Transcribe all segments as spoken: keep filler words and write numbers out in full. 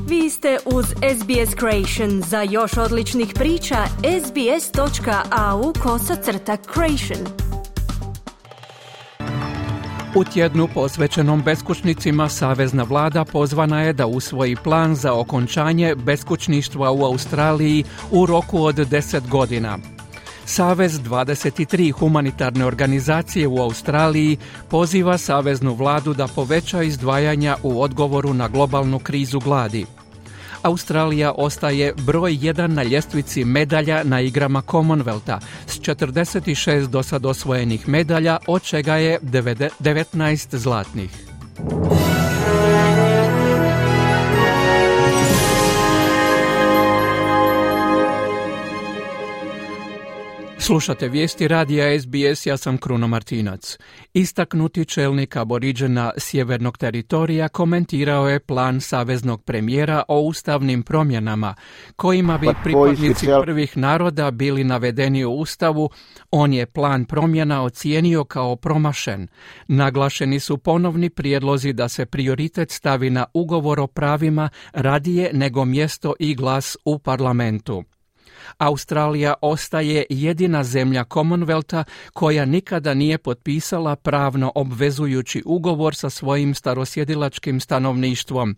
Vi ste uz S B S Creation. Za još odličnih priča, sbs.au kosacrta creation. U tjednu posvećenom beskućnicima savezna vlada pozvana je da usvoji plan za okončanje beskućništva u Australiji u roku od deset godina. Savez dvadeset tri humanitarne organizacije u Australiji poziva saveznu vladu da poveća izdvajanja u odgovoru na globalnu krizu gladi. Australija ostaje broj jedan na ljestvici medalja na igrama Commonwealtha s četrdeset šest dosad osvojenih medalja, od čega je devetnaest zlatnih. Slušate vijesti radija S B S, ja sam Kruno Martinac. Istaknuti čelnik aboriđena sjevernog teritorija komentirao je plan saveznog premijera o ustavnim promjenama, kojima bi pripadnici prvih naroda bili navedeni u ustavu. On je plan promjena ocijenio kao promašen. Naglašeni su ponovni prijedlozi da se prioritet stavi na ugovor o pravima radije nego mjesto i glas u parlamentu. Australija ostaje jedina zemlja Commonwealtha koja nikada nije potpisala pravno obvezujući ugovor sa svojim starosjedilačkim stanovništvom,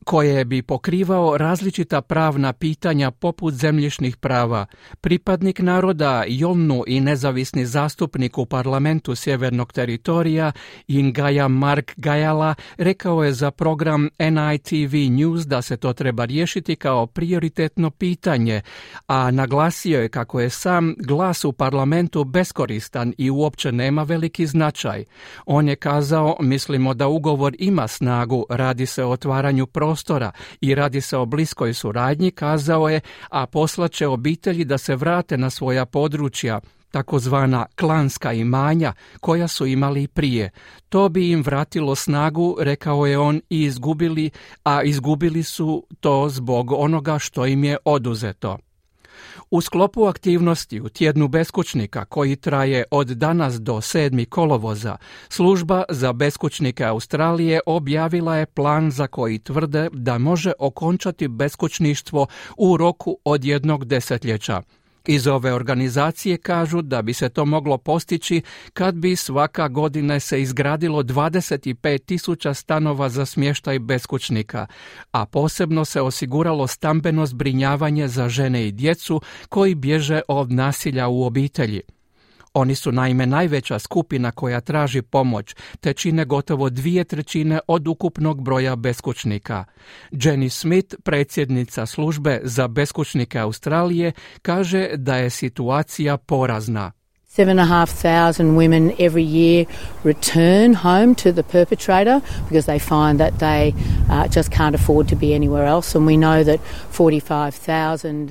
koje bi pokrivao različita pravna pitanja poput zemljišnih prava. Pripadnik naroda Yolnu i nezavisni zastupnik u parlamentu sjevernog teritorija Ingaja Mark Gajala rekao je za program N I T V News da se to treba riješiti kao prioritetno pitanje, a naglasio je kako je sam glas u parlamentu beskoristan i uopće nema veliki značaj. On je kazao: mislimo da ugovor ima snagu, radi se o otvaranju prostora i radi se o bliskoj suradnji, kazao je, a poslaće obitelji da se vrate na svoja područja, takozvana klanska imanja koja su imali prije. To bi im vratilo snagu, rekao je on, i izgubili, a izgubili su to zbog onoga što im je oduzeto. U sklopu aktivnosti u tjednu beskućnika, koji traje od danas do sedmog kolovoza, služba za beskućnike Australije objavila je plan za koji tvrde da može okončati beskućništvo u roku od jednog desetljeća. Iz ove organizacije kažu da bi se to moglo postići kad bi svaka godina se izgradilo dvadeset pet tisuća stanova za smještaj beskućnika, a posebno se osiguralo stambeno zbrinjavanje za žene i djecu koji bježe od nasilja u obitelji. Oni su naime najveća skupina koja traži pomoć, te čine gotovo dvije trećine od ukupnog broja beskućnika. Jenny Smith, predsjednica službe za beskućnike Australije, kaže da je situacija porazna. Seven and a half thousand women every year return home to the perpetrator because they find that they uh, just can't afford to be anywhere else, and we know that forty-five thousand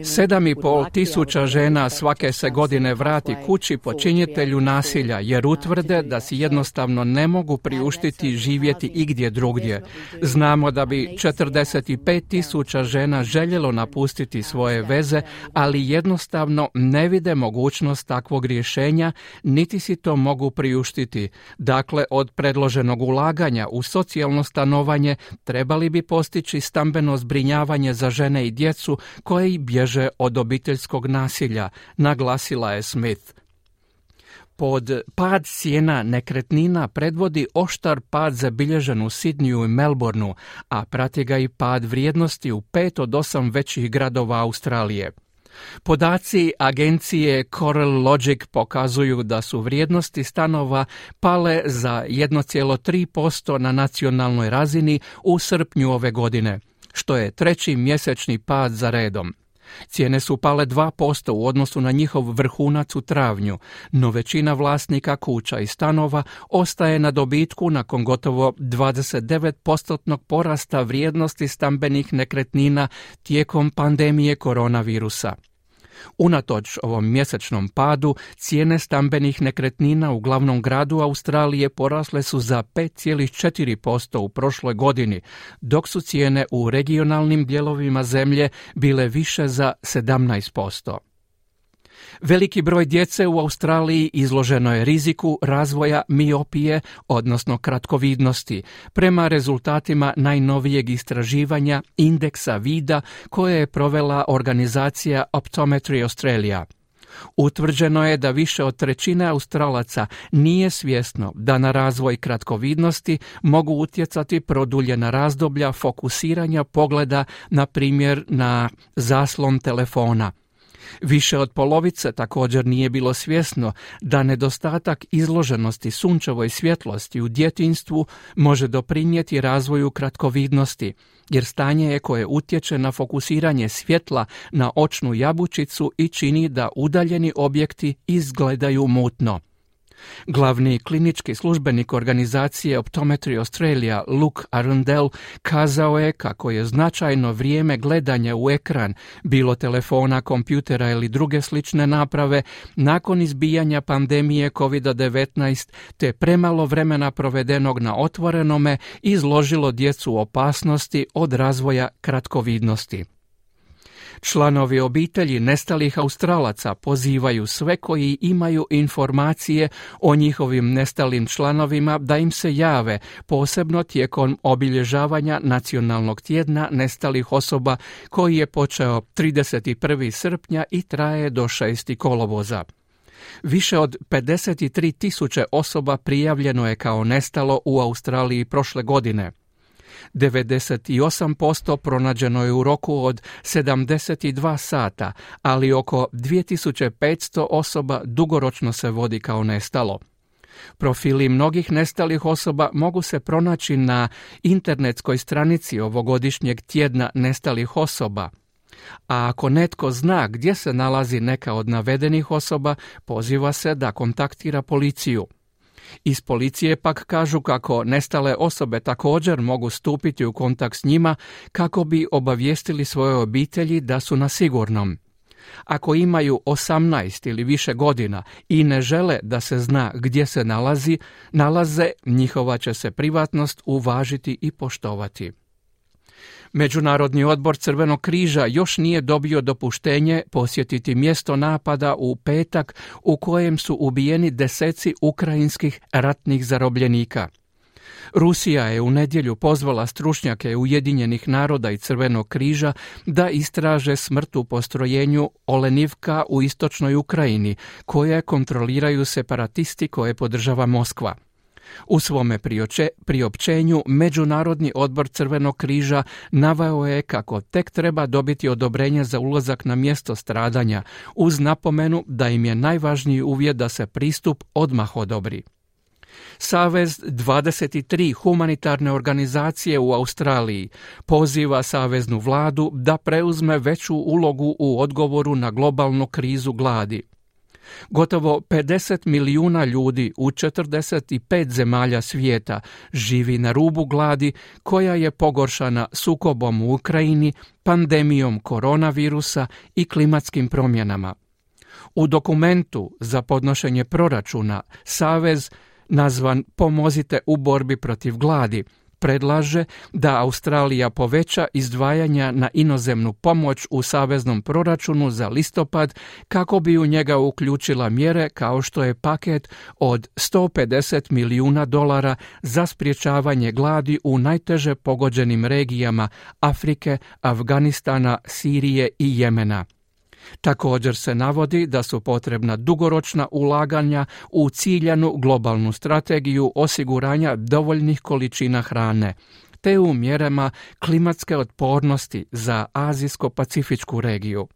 Sedam i pol tisuća žena svake se godine vrati kući počinitelju nasilja jer utvrde da si jednostavno ne mogu priuštiti živjeti igdje drugdje. Znamo da bi četrdeset pet tisuća žena željelo napustiti svoje veze, ali jednostavno ne vide mogućnost takvog rješenja, niti si to mogu priuštiti. Dakle, od predloženog ulaganja u socijalno stanovanje trebali bi postići stambeno zbrinjavanje za žene i djecu koje i bježe od obiteljskog nasilja, naglasila je Smith. Pod pad cijena nekretnina predvodi oštar pad zabilježen u Sidniju i Melbourneu, a prati ga i pad vrijednosti u pet od osam većih gradova Australije. Podaci agencije Coral Logic pokazuju da su vrijednosti stanova pale za jedan zarez tri posto na nacionalnoj razini u srpnju ove godine, što je treći mjesečni pad za redom. Cijene su pale dva posto u odnosu na njihov vrhunac u travnju, no većina vlasnika kuća i stanova ostaje na dobitku nakon gotovo dvadeset devet postotnog porasta vrijednosti stambenih nekretnina tijekom pandemije koronavirusa. Unatoč ovom mjesečnom padu, cijene stambenih nekretnina u glavnom gradu Australije porasle su za pet zarez četiri posto u prošloj godini, dok su cijene u regionalnim dijelovima zemlje bile više za sedamnaest posto. Veliki broj djece u Australiji izloženo je riziku razvoja miopije, odnosno kratkovidnosti, prema rezultatima najnovijeg istraživanja indeksa vida koje je provela organizacija Optometry Australia. Utvrđeno je da više od trećine Australaca nije svjesno da na razvoj kratkovidnosti mogu utjecati produljena razdoblja fokusiranja pogleda, na primjer na zaslon telefona. Više od polovice također nije bilo svjesno da nedostatak izloženosti sunčevoj svjetlosti u djetinjstvu može doprinijeti razvoju kratkovidnosti, jer stanje je koje utječe na fokusiranje svjetla na očnu jabučicu i čini da udaljeni objekti izgledaju mutno. Glavni klinički službenik organizacije Optometry Australia, Luke Arundel, kazao je kako je značajno vrijeme gledanja u ekran, bilo telefona, kompjutera ili druge slične naprave, nakon izbijanja pandemije kovid devetnaest te premalo vremena provedenog na otvorenome izložilo djecu opasnosti od razvoja kratkovidnosti. Članovi obitelji nestalih Australaca pozivaju sve koji imaju informacije o njihovim nestalim članovima da im se jave, posebno tijekom obilježavanja Nacionalnog tjedna nestalih osoba koji je počeo trideset prvog srpnja i traje do šestog kolovoza. Više od pedeset tri tisuće osoba prijavljeno je kao nestalo u Australiji prošle godine. devedeset osam posto pronađeno je u roku od sedamdeset dva sata, ali oko dvije tisuće petsto osoba dugoročno se vodi kao nestalo. Profili mnogih nestalih osoba mogu se pronaći na internetskoj stranici ovogodišnjeg tjedna nestalih osoba. A ako netko zna gdje se nalazi neka od navedenih osoba, poziva se da kontaktira policiju. Iz policije pak kažu kako nestale osobe također mogu stupiti u kontakt s njima kako bi obavijestili svoje obitelji da su na sigurnom. Ako imaju osamnaest ili više godina i ne žele da se zna gdje se nalazi, nalaze, njihova će se privatnost uvažiti i poštovati. Međunarodni odbor Crvenog križa još nije dobio dopuštenje posjetiti mjesto napada u petak u kojem su ubijeni deseci ukrajinskih ratnih zarobljenika. Rusija je u nedjelju pozvala stručnjake Ujedinjenih naroda i Crvenog križa da istraže smrt u postrojenju Olenivka u istočnoj Ukrajini, koje kontroliraju separatisti koje podržava Moskva. U svome prioče, priopćenju Međunarodni odbor Crvenog križa naveo je kako tek treba dobiti odobrenje za ulazak na mjesto stradanja, uz napomenu da im je najvažniji uvjet da se pristup odmah odobri. Savez dvadeset tri humanitarne organizacije u Australiji poziva saveznu vladu da preuzme veću ulogu u odgovoru na globalnu krizu gladi. Gotovo pedeset milijuna ljudi u četrdeset pet zemalja svijeta živi na rubu gladi koja je pogoršana sukobom u Ukrajini, pandemijom koronavirusa i klimatskim promjenama. U dokumentu za podnošenje proračuna Savez, nazvan Pomozite u borbi protiv gladi, predlaže da Australija poveća izdvajanja na inozemnu pomoć u saveznom proračunu za listopad kako bi u njega uključila mjere kao što je paket od sto pedeset milijuna dolara za sprječavanje gladi u najteže pogođenim regijama Afrike, Afganistana, Sirije i Jemena. Također se navodi da su potrebna dugoročna ulaganja u ciljanu globalnu strategiju osiguranja dovoljnih količina hrane, te u mjerama klimatske otpornosti za Azijsko-Pacifičku regiju.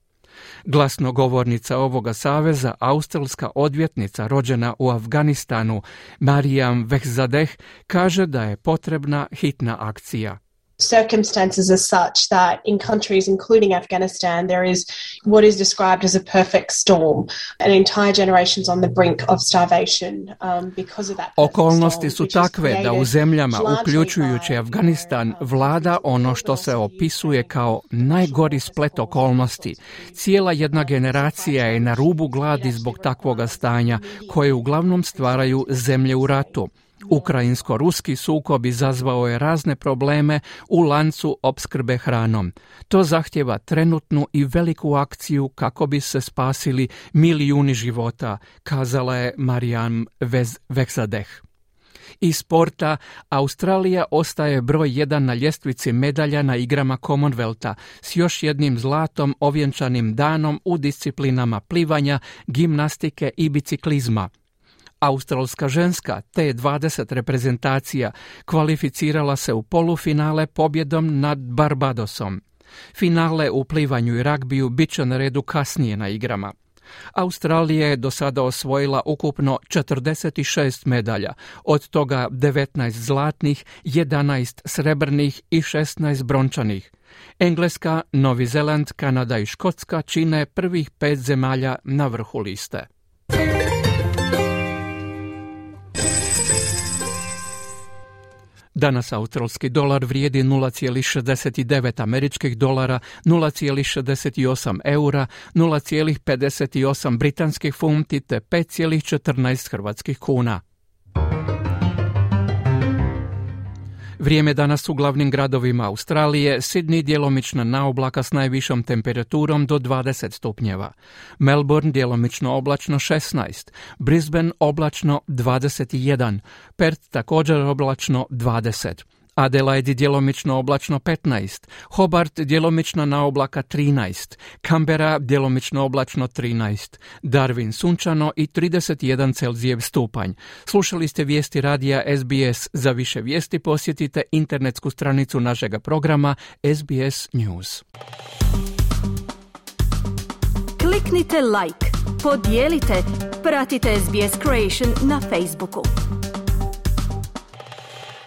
Glasnogovornica ovoga saveza, australska odvjetnica rođena u Afganistanu, Marijam Vehzadeh, kaže da je potrebna hitna akcija. Circumstances are such that in countries including Afghanistan there is what is described as a perfect storm, an entire generation's on the brink of starvation um, because of that. Okolnosti su takve da u zemljama, uključujući Afganistan, vlada ono što se opisuje kao najgori splet okolnosti. Cijela jedna generacija je na rubu gladi zbog takvoga stanja, koje uglavnom stvaraju zemlje u ratu. Ukrajinsko-ruski sukob izazvao je razne probleme u lancu opskrbe hranom. To zahtjeva trenutnu i veliku akciju kako bi se spasili milijuni života, kazala je Marijam Veksadeh. Iz sporta, Australija ostaje broj jedan na ljestvici medalja na igrama Commonwealtha s još jednim zlatom ovjenčanim danom u disciplinama plivanja, gimnastike i biciklizma. Australska ženska T dvadeset reprezentacija kvalificirala se u polufinale pobjedom nad Barbadosom. Finale u plivanju i ragbiju bit će na redu kasnije na igrama. Australija je do sada osvojila ukupno četrdeset šest medalja, od toga devetnaest zlatnih, jedanaest srebrnih i šesnaest brončanih. Engleska, Novi Zeland, Kanada i Škotska čine prvih pet zemalja na vrhu liste. Danas australski dolar vrijedi nula zarez šezdeset devet američkih dolara, nula zarez šezdeset osam eura, nula zarez pedeset osam britanskih funti te pet zarez četrnaest hrvatskih kuna. Vrijeme danas u glavnim gradovima Australije: Sydney djelomična naoblaka s najvišom temperaturom do dvadeset stupnjeva, Melbourne djelomično oblačno šesnaest, Brisbane oblačno dvadeset jedan, Perth također oblačno dvadeset, Adelaide djelomično oblačno petnaest, Hobart djelomično naoblaka trinaest, Canberra djelomično oblačno trinaest, Darwin sunčano i trideset jedan Celzijev stupanj. Slušali ste vijesti radija S B S. Za više vijesti posjetite internetsku stranicu našega programa S B S News. Kliknite like, podijelite, pratite S B S Creation na Facebooku.